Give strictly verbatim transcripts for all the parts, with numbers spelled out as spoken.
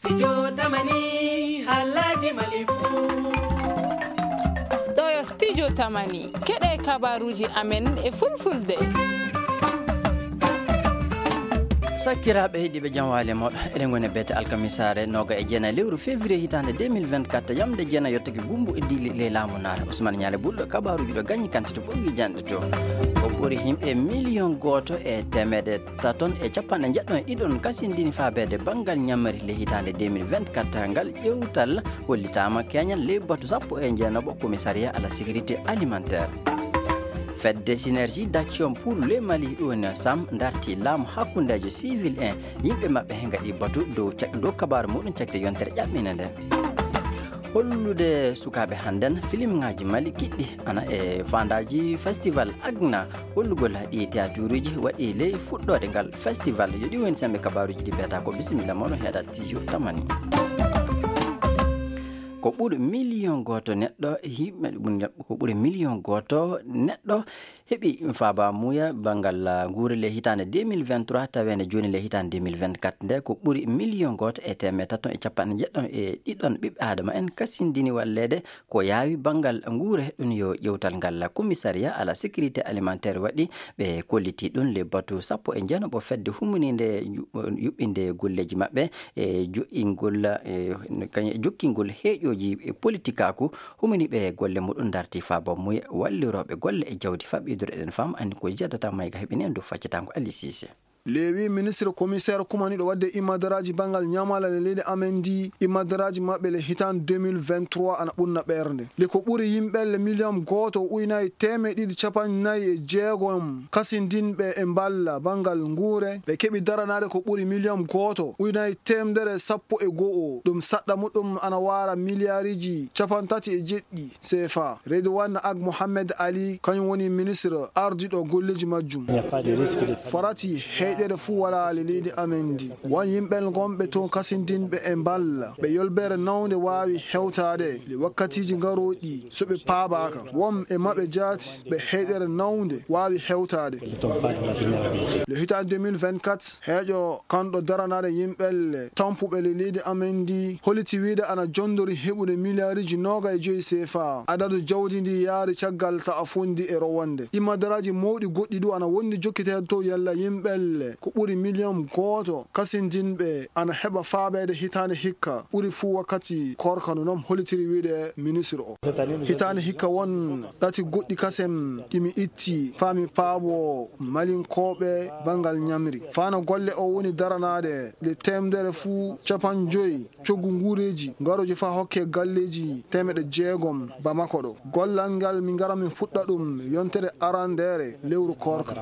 Studio Tamani, halaji Mali fu. Ɗo yo Studio Tamani, keɗe kabaruji amen e fulfulde. Sakkiraaɓe heɗiiɓe, jam waali e mooɗon. Eɗen ngoni e beete alkamisaare nooga e jeenayi lewru février hitaande deux mille vingt-quatre, yamde jeenayi yottake gumbu e dili ley laamu naare. Ousmane Ñaale Bulɗo, kabaruji ɗo gañi kante to ɓoggiji janɗe to. Ko ɓuri yimɓe miliyon gooto e teemeɗe taton e capanɗe njeɗɗon e ɗiɗon kasindini faabeede banngal ñamri le hitaande deux mille vingt-quatre. Ngal ƴewtal hollitaama keñal ley batu sappo e jeenaɓo commissariat à la sécurité alimentaire. Fedde Synergie d'Action pour le Mali, ɗum woni sam, darti laamu hakkundeejo civil en, yimɓe maɓɓe he ngaɗi batu dow cak-, dow kabaaru muɗum cakde yontere ƴaɓɓinde nde. Hollude sukaaɓe hannden filimŋaaji Mali kiɗɗi ana e faandaaji festival Agna. Hollugol ɗi théâtruuji waɗi ley fuɗɗoode ngal festival. Yo ɗi woni sembe kabaaruuji ɗi beeta ko bisimilla mono heɗa Studio Tamani. Ko ɓuri miliyon gooto neɗɗo yimɓe, ko ɓuri miliyon gooto neɗɗo heɓi faaba muuya banngal, ah, nguure le hitaande deux mille vingt-trois, taweende jooni le hitaande deux mille vingt-quatre nde, ko ɓuri miliyon gooto e teemeɗe tato e capanɗe njeɗɗo e ɗiɗon ɓiɓɓe aadama en kasindini walleede ko yaawi banngal nguure. Ɗum yo ƴewtal ngal commissariat à la sécurité alimentaire waɗi, ɓe kolliti ɗum le batu sappo e jeenaɓo fedde humoniinde yu-, yuɓɓinde golleeji maɓɓe e joɗɗingol, e, kañ-, jokkingol heeƴooji e politikaaku. Humini ɓe golle muɗum darti faaba muuya wallirooɓe golle e jawdi faɓɓiduɗo. Eɗen faama anndi ko jiyata tan mayga heɓini en dow faccatango Ali Cissé. Lewi ministre commissaire kumaniɗo wadde imadaraaji banngal ñamala le leydi amen ndi, imadaraaji maɓɓe le hitaande deux mille vingt-trois ana ɓurna ɓernde. Le ko ɓuri yimɓe le miliyon gooto ujunaaji teemeɗe ɗiɗi capanɗe nayi e jeegom kasindinɓe e mballa banngal nguure, ɓe keɓi daranaade ko ɓuri miliyon gooto ujunaaji teemedere sappo e go'o. Ɗum saɗɗa muɗum ana waara miliyaariji capanɗe tati e jeɗɗi C F A. Redouane Ag Mohamed Ali, kañum woni ministre ardiɗo golleeji majjum. Farati heyɗere fuu walaa le leydi amen ndi. Won yimɓe ngonɓe toon kasindinɓe e mballa. Ɓe yolbeere nawnde waawi hewtaade le wakkatiiji ngarooɗi so ɓe paabaaka. Won e maɓɓe jaati ɓe heyɗere nawnde waawi hewtaade. Le hitaande deux mille vingt-quatre, heeƴo kanɗo daranaade yimɓelle tampuɓe le leydi amen ndi holliti wiide ana jondori heɓude miliyaariji nooga e joyi C F A. Adadu jawdi ndi yaari caggal sa'a fondi e rowonde. Imadaraaji mawɗi goɗɗi du ana wondi jokkiteede to yalla yimɓelle ko ɓuri miliyon gooto kasindinɓe ana heɓa faabeede hitaande hikka, ɓuri fuu wakkati korka no noon hollitiri wiide ministre o. Hitaande hikka won ɗati goɗɗi kasem ɗi mi itti faa mi paabo Malinkooɓe banngal ñamri. Fano golle o woni daranaade le teemedere fuu capanɗe joyi coggu nguureeji ngarooji faa hokke galleeji teemeɗe jeegom Bamako ɗo. Gollal ngal min ngara min fuɗɗa ɗum yontere arandeere lewru koorka.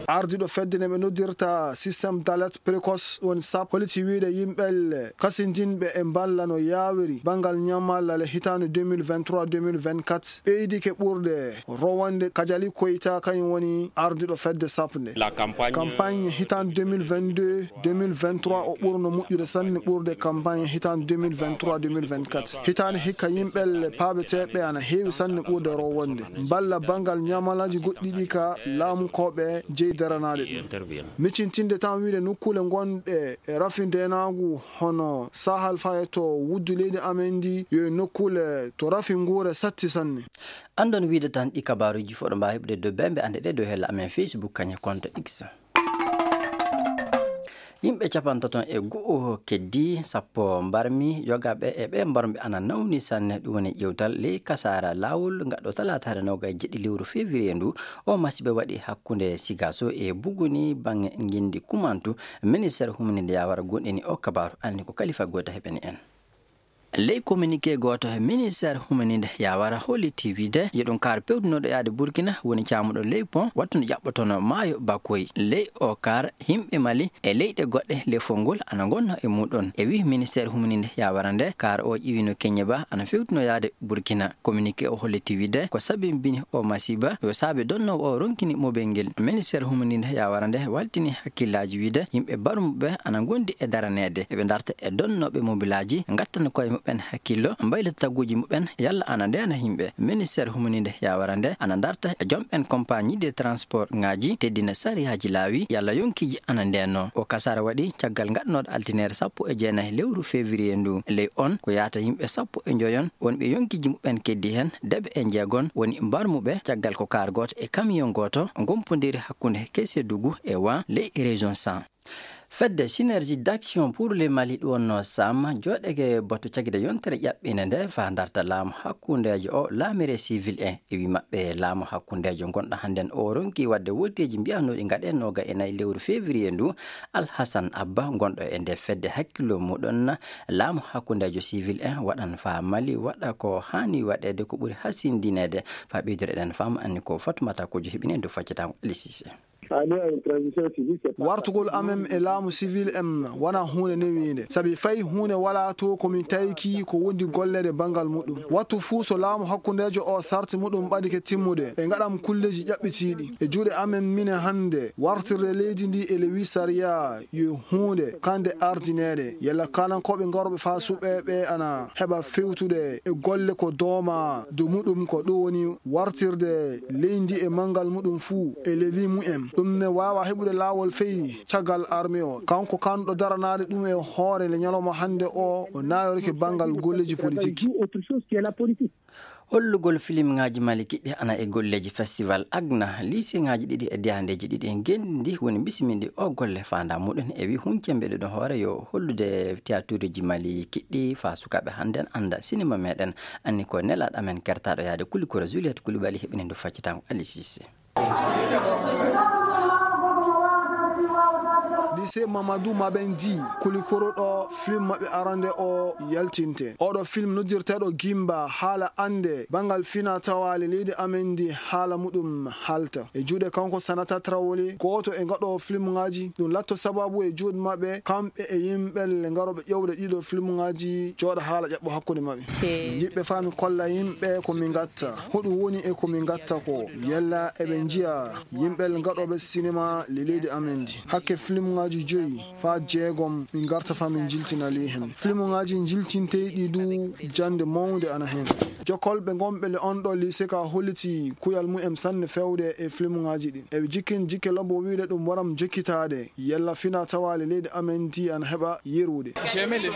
Ardiiɗo fedde nde ɓe noddirta système d'alerte précoce woni sap holliti wiide yimɓelle kasindinɓe e mballa no yaawiri banngal ñamalla le hitaande deux mille vingt-trois deux mille vingt-quatre ɓeydike ɓurde rowonde. Kajali Koyta kañum woni ardiiɗo fedde sap nde. Campagne hitaande deux mille vingt-deux deux mille vingt-trois o ɓurno moƴƴude sanne ɓurde campagne hitaande deux mille vingt-trois deux mille vingt-quatre. Hitaande hikka yimɓelle paabeteeɓe ana heewi sanne ɓurde rowonde. Mballa banngal ñamalaaji goɗɗi ɗi ka laamu ko ɓe jeyi daranaade ɗum. Miccintinde tan wiide nokkuule ngonɗe e rafi ndeenaagu hono Sahal faye to wuddu leydi amen ndi yo e nokkuule to rafi nguure satti sanne. Anndon wiide tan ɗi kabaaruuji fof ɗo mbaawi heɓude dow bembe annde ɗe dow hella amen Facebook kañe compte X. Yimɓe capantaton e go'o keddi sappo mbarmi, yogaaɓe e ɓe mbarmi ana nawni sanne. Ɗum woni ƴewtal ley kasaara laawol ngaɗɗo talaataare noogaye jeɗɗi lewru février ndu. O masiiba waɗi hakkunde Sigaso e Buguni baŋŋe ngenndi kumantu. Ministeer humninde yaawara gonɗini o kabaaru, alni ko Kalifa Goyta heɓani en. Ley communiqué gooto, ministeer humninde yaawara holliti wiide yo ɗum kaar pewtunooɗo yaade Burkina woni caamuɗo ley pont wattude ƴaɓɓotono maayo Bakoy. Ley o kaar, yimɓe Mali e leyɗe goɗɗe lefol ngol ana ngonna e muɗon. E wii ministeer humninde yaawara nde, kaar o ƴiwino Keñe ba ana fewtuno yaade Burkina. Communiqué o holliti wiide ko sabimbini o masiiba yo saabe donnoowo o ronkini mobel ngel. Ministeer humninde yaawara nde waltini hakkillaaji wiide yimɓe barmuɓe ana ngondi e daraneede. Eɓe darta e donnooɓe mobilaaji ngattana koye maɓɓe ƴaɓɓen hakkillo, mbaylita taguuji muɓɓen, yalla ana ndeena yimɓe. Ministeer humaniinde yawara nde ana darta e jomɓen compagnie de transport ŋaaji, teddina sariyaaji laawi, yalla yonkiiji ana ndeenoo. O kasaara waɗi caggal ngaɗanooɗo altineere sappo e jeenayi lewru février ndu. Ley on ko yaata yimɓe sappo e njoyon wonɓe yonkiiji muɓɓen keddi heen, deɓe e njeegon woni mbarmuɓe caggal ko kaar gooto e camion gooto ngompondiri hakkunde Kesedougou e Wa ley région cent. Fedde Synergie d'Action pour le Mali ɗum wonnoo Sam jooɗeke batu caggude yontere ƴaɓɓinde nde faa darta laamu hakkundeejo o laamire civil en. E wii maɓɓe laamu hakkundeejo ngonɗo hannden o ronki waɗde wooteeji mbiyanooɗi ngaɗe nooga e nayi lewru février ndu. Alhasan Abba gonɗo e nde fedde hakkillo muɗon laamu hakkundeejo civil en waɗan faa Mali waɗa ko haani waɗeede ko ɓuri hasindineede faa ɓeydude ɗen faamu anni ko Fatumata Kojo heɓini en dow faccataa ngu Alisise. Wartugol amen e laamu sivil en wonaa huunde newiinde, sabi fay huunde walaa to ko min tawiki ko wondi golleede banngal muɗum. Wattu fuu so laamu hakkundeejo o sarti muɗum ɓadike timmude, ɓe ngaɗam kulleeji ƴaɓɓitiiɗi. E juuɗe amen minen hannde, wartirde leydi ndi e lewi sariya yo huunde kande ardineede. Yalla kaalankooɓe ngarooɓe faa suɓeeɓe ana heɓa fewtude e golle ko dooma dow muɗum ko ɗum woni wartirde leydi e manngal muɗum fuu e lewi mumen. Ɗum ne waawa heɓude laawol fey caggal arme o. Kanko kanɗo daranaade ɗum e hoore le ñalawma hannde o, o naayorike banngal golleeji politik. Hollugol filimŋaaji Mali kiɗɗi ana e golleeji festival Agna, liiseŋaaji ɗiɗi e deyandeeji ɗiɗi ngenndi woni bisimilɗi o golle faandaa muɗum e wi huncembe ɗo hoore yo hollude tiyatuuruuji Mali kiɗɗi faa sukaaɓe hannden annda sinima meɗen. Anni ko nelaaɗo amen kertaaɗo yaade Kulikoro Juliette Koulibaly heɓini ndu faccataa ngu Alice Cissé. Lycée Mamadou Mabendi, Kulikoro ɗo film maɓɓe arande o yaltinte. Oɗo film noddirteeɗo Gimba, haala ande banngal fina tawaale leydi amen ndi haala muɗum halta. E juuɗe kanko Sanata Traoré, gooto e ngaɗo film ngaji, ɗum latto sababu e juuɗe maɓɓe, kamɓe e yimɓe le ngaroɓe ƴewde ɗiɗo film ngaji, jooɗa haala ƴaɓɓo hakkunde maɓɓe. Yiɗɓe faa mi kolla yimɓe ko mi ngatta. Hoɗum woni e ko min ngatta ko? Yalla eɓe njiya yimɓe gaɗooɓe sinema le leydi amen ndi? Hakke filmuŋaaji joyi faa jeegom min ngarta faa min njiltina ley hen. Filmuŋaaji njiltinteyɗi du jannde mawnde ana hen. Jokkolɓe ngonɓe le on ɗo lycée ka holliti kuyal mumen sanne fewde e filmuŋaaji ɗin. Eɓe jikkin jikke lobbo wiide ɗum waram jokkitaade. Yalla fina tawaale leydi amen ndi ana heɓa yerude.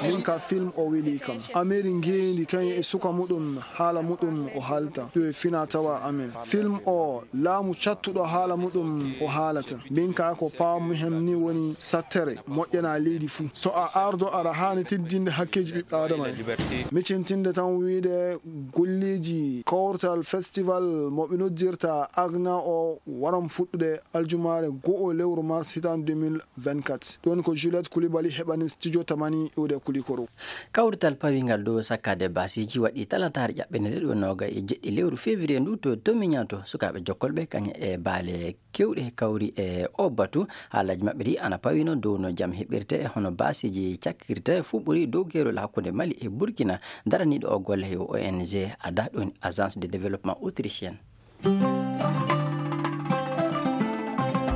Min ka film o weli kam. Ameri ngeendi kañum e suka muɗum, haala muɗum o haalta. Ɗum e fina tawa amen. Film o, laamu cattuɗo haala muɗum o haalata. Min ka ko paamu hem ni woni sattere moƴƴana leydi fuu. So a ardo aɗa haani teddinde hakkeeji ɓiɓɓe Aadama en. Micintinde tan wiide golleeji kawtal festival mo ɓe noddirta Agna o waram fuɗɗude aljumaare go'o lewru mars hitaande deux mille vingt-quatre. Ɗon ko Juliette Koulibaly heɓani studio Tamani iwde Kulikoro. Kawrital pawingal dow sakkaade baasiiji waɗi talataare ƴaɓɓende nde ɗo nooga e jeɗɗi lewru février ndu to Tomiñato. Sukaaɓe jokkolɓe kañum e baale kewɗe kawri e o batu. Haalaaji maɓɓe ɗi ana pawino dow no jam heɓirte e hono baasiiji cakkirte fuu ɓuri dow keerol hakkunde Mali e Burkina. Daraniiɗo o golle yo O N G ada ɗum Agence de Développement Autrichienne.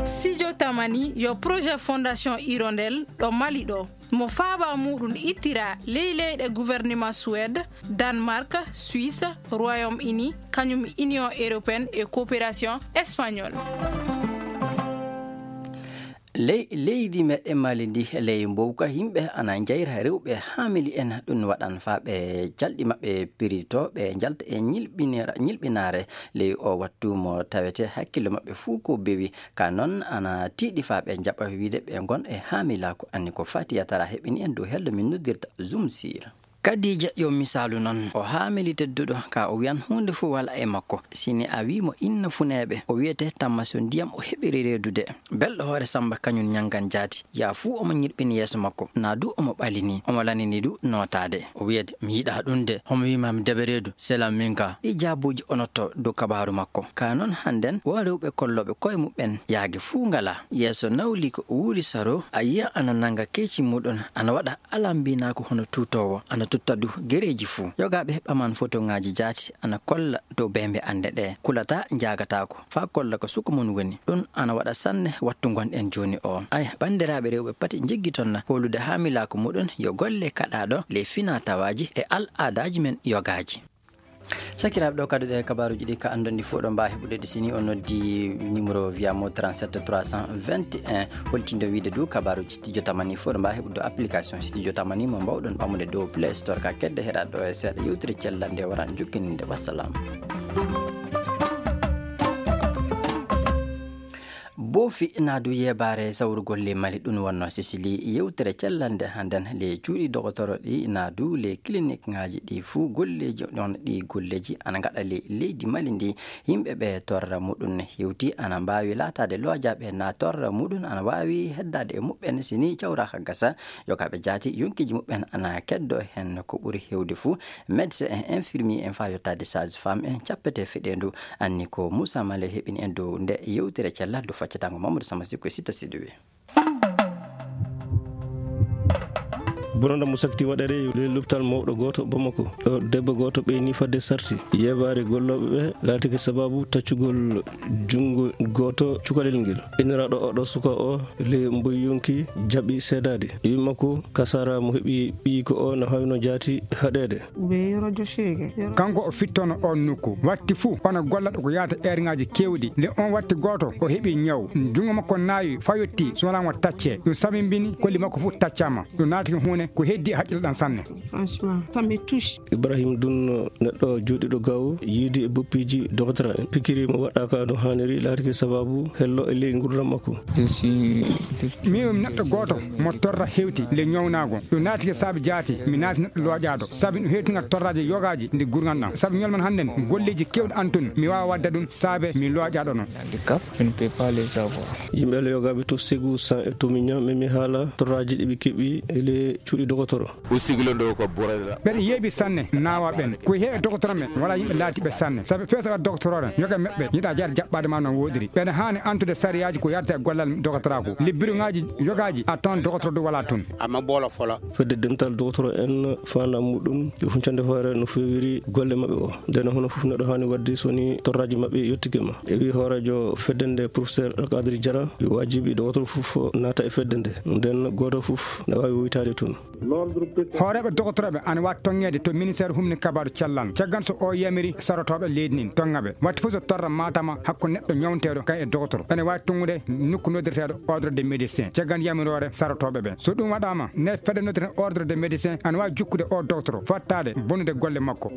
Studio Tamani yo projet Fondation Hirondelle ɗo Mali ɗo. Mo faaba muɗum ittira ley leyɗe gouvernement Suède, Danemark, Suisse, Royaume-Uni, kañum Union Européenne e Coopération Espagnole. Ley-, leydi meɗen Mali ndi, ley mbowka, yimɓe ana njayra rewɓe haamili en. Ɗum waɗan faa ɓe calɗi maɓɓe pirito, ɓe njalta e ñilɓinira-, ñilɓinaare ley o wattu mo tawete hakkille maɓɓe fuu ko bewi. Ka noon ana tiiɗi faa ɓe njaɓa wiide ɓe ngon e haamilaaku. Anni ko Fatiya Tara heɓini en dow hello min noddirta Zoom Sir. Kadija yo misaalu noon, o haamili tedduɗo, ka o wiyan huunde fof wala e makko. Si ni a wii mo inna funeeɓe, o wiyete tamma so ndiyam o heɓiri reedude. Belɗo hoore Samba kañum ñanngan jaati. Yaa fuu omo ñirɓini yeeso makko, naa du omo ɓalini, omo lanini du nootaade. O wiyete, "Mi yiɗaa ɗum de, homo wii ma mi deɓe reedu, selam min ka." Ɗi jaabuuji o notto dow kabaaru makko. Ka noon hannden, wo rewɓe kollooɓe koye muɓɓen yaage fuu ngalaa. Yeeso nawli ko wuuri saro, a yiya ana nannga keeci muɗum, ana waɗa alambinaaku hono tuutoowo, ana Tadu gereeji fuu. Yogaaɓe ɓaman fotoŋaaji jaati ana kolla dow beembe annde ɗe. Kulata njaagataako. Faa kolla ko suka mum woni. Ɗum ana waɗa sanne wattu ngonɗen jooni o. Aya, banndiraaɓe rewɓe pati njiggiton na hoolude haamilaaku muɗum yo golle kaɗaaɗo ley finaa tawaaji e al aadaaji men yogaaji. Sakiraaɓe, ɗo kadi ɗe kabaaruuji ɗi ka anndon ɗi fof ɗo mbaawi heɓude ɗi si ni on noddi numéro via mo trente-sept trois cent vingt et un. Holtindo wiide du kabaaruuji studio tamani fof ɗo mbaawi heɓude application studio tamani mo mbawɗon ɓamude dow Play Store ka kedde heɗaɗo e seeɗa yewtere cellal nde waran jukkininde. Wassalam. Boofi naadu yeebaare sawrugol ley Mali ɗum wonno Sisili yewtere cellal nde hannden ley cuuɗi dogotoro ɗi naadu ley clinique ŋaaji ɗi fuu golleeji ɗon ɗi golleeji ana ngaɗa ley leydi Mali ndi. Yimɓe ɓe torra muɗum hewti ana mbaawi laataade loojaaɓe na torra muɗum ana waawi heddaade e muɓɓen si ni cawraaka gasa. Yogaaɓe jaati yonkiiji muɓɓen ana keddo heen ko ɓuri hewde fuu. Médecin en, infirmier en faa yottaade sage femme en cappete feɗeendu. Anni ko Moussa Male heɓini en dow nde yewtere cellal dow faccatango Mamadou Samba Sikko e Sitta Sidiwe. Bonanda mo sakti waɗeede e ley lopital mawɗo gooto Bamako. Ɗo debbo gooto ɓeyni fadde sarti. Yeebaare gollooɓe ɓe laatike sababu taccugol junngo gooto cukalel ngel. Inniraaɗo oɗo suka o ley mboy yonki jaɓi seedaade. Ɓii makko Kasara mo heɓi ɓiyi ko o no hawno jaati haɗeede. Kanko o fittono on nokku. Watti fuu, ona golla ɗo ko yaata eerŋaaji keewɗi. Nde on watti gooto, o heɓi ñaw. Junngo makko naawi, fayotti, so wonaa mo taccee. Ɗum sammbini, kolli makko fuu taccaama. Ɗum naati ko huunde ko heddi e haqqille ɗan sanne. Franchement, ça me touche. Ibrahim Dun, neɗɗo jooɗiiɗo gawo, yiidi e boppiiji doktora en. Pikiri mo waɗaaka no haaniri, laatike sababu hello e ley ngurdam makko. Min mi neɗɗo gooto mo torra hewti le ñawnaago. Ɗum naatike saabe jaati, mi naati neɗɗo looƴaaɗo. Sabi ɗum hewtinga torraaji yogaaji ndi gurgan ɗam. Sabi ñolman hannden golleeji keewɗi an tun, mi waawa waɗde ɗum saabe mi looƴaaɗo non. Handicap, je ne peux pas les avoir. Yimɓe Allah yogaaɓe to Ségou San e to Miña, min mi haala torraaji ɗi ɓe keɓi e le cuuɗi dogotoro. Usigilo ɗo ko burayla. Ɓeɗe yeeɓi sanne naawa ɓen. Ko heewi e dogotoro men, wala yimɓe laatiɓe sanne. Sabi feesaɓe dogotoro ren, yoga meɓɓe, yiɗa jaade jaɓɓaade ma no woɗiri. Ɓeɗe haani antude sariyaaji ko yarata e gollal dogotoraaku. Libbiruŋaaji yogaaji a tawan dogotoro du wala tun. Amma bola fola. Fedde dental dogotoro en faandaare muɗum, yo huncande hoore no feewiri golle maɓɓe o. Nden hono fof neɗɗo haani waɗde so ni torraaji maɓɓe yottike ma. E wi hooreejo fedde nde, professeur Alkadri Diarra, yo waajibi dogotoro fof naata e fedde nde. Nden gooto fof na waawi woytaade toon. Hooreeɓe dogotorooɓe ana waawi toŋŋeede to ministeer humni kabaaru cellal. Caggal so o yamiri sarotooɓe leydi nin, toŋŋa ɓe. Watti fof so torra maatama hakkunde neɗɗo ñawnteeɗo kay e dogotoro, ene waawi toŋŋude nokku noddirteeɗo ordre de médecin. Caggal yamiroore sarotooɓe ɓe. So ɗum waɗaama, ne fedde noddirten ordre de médecin ana waawi jukkude o dogotoro, fottaade bonnude golle makko.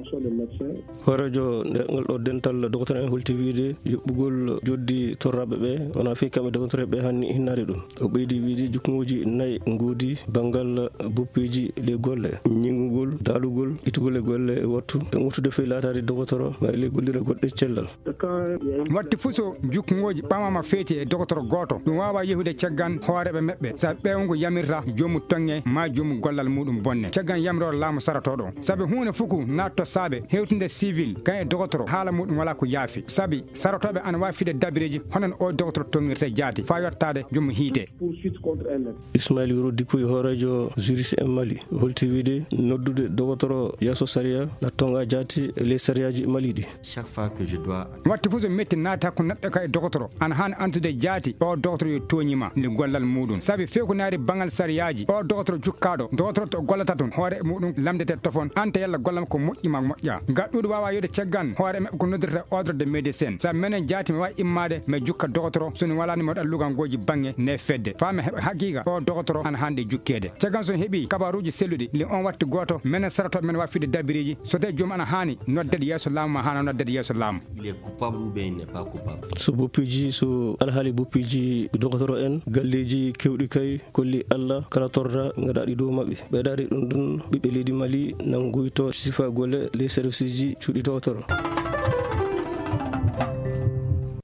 Hooreejo nde ngal ɗo dental dogotoro en holti wiide yuɓɓugol joddi torraaɓe ɓe wonaa fii kamɓe dogotoro ɓe hanni hinnaade ɗum. O ɓeydi wiide jukkuŋooji nayi ngoodi banngal boppeeji ley golle, ñiŋngugol, daalugol, ittugol e golle e wattu, e ŋurtude fii laataade dogotoro, ma e ley gollirde goɗɗe cellal. Watti fof so jukkuŋooji ɓamaama feeti e dogotoro gooto, ɗum waawaa yehude caggal hooreeɓe maɓɓe, sabi ɓeewngu yamirta joomu toŋŋe maa joomu gollal muɗum bonne. Caggal yamiroore laamu sarotooɗo, sabi huunde fof ko naatto saabe hewtinde civil, kan e dogotoro, haala muɗum walaa ko yaafi. Sabi sarotooɓe ana waawi fiɗde dabireeji, hono no o dogotoro toŋŋirta jaati, faa yottaade joomu hiite. Ismail Yoro Dikoy, hooreejo juriste en Mali, holti wiide noddude dogotoro yeeso sariya na toŋa jaati e ley sariyaaji Mali ɗi. Chaque fois que je dois Watti fof so metti naati hakkunde neɗɗo ka e dogotoro, ana haani antude jaati o dogotoro yo tooñi ma nde gollal muɗum. Sabi few ko naati banngal sariyaaji, o dogotoro jukkaaɗo, dogotoro to gollata tun, hoore muɗum lamndete tofon, anta yalla gollal ko moƴƴi ma moƴƴa. Gaɗɗuɗo waawa yode caggal hoore maɓɓe ko noddirta ordre de médecin. Sabi menen jaati mi waawi immaade mi jukka dogotoro, so mi walaani mi waɗa lugangooji baŋŋe nde fedde. Faa mi heɓa haqiiqa o dogotoro ana haani jukkeede. Caggal so mi heɓi kabaaruuji selluɗi, le on watti gooto, menen sarotooɓe men waawi fiɗde dabireeji, so tawi joomum ana haani noddeede yeeso laamu maa haana noddeede yeeso laamu. Il est coupable ou bien il n'est pas coupable. So boppiiji, so alhaali boppiiji dogotoro en, galleeji keewɗi kay, kolli Alla, kala torra ngaɗaaɗi dow maɓɓe. Ɓeydaade ɗum ɗum, ɓiɓɓe leydi Mali nan nguyto sifa golle ley serviceji cuuɗi dogotoro.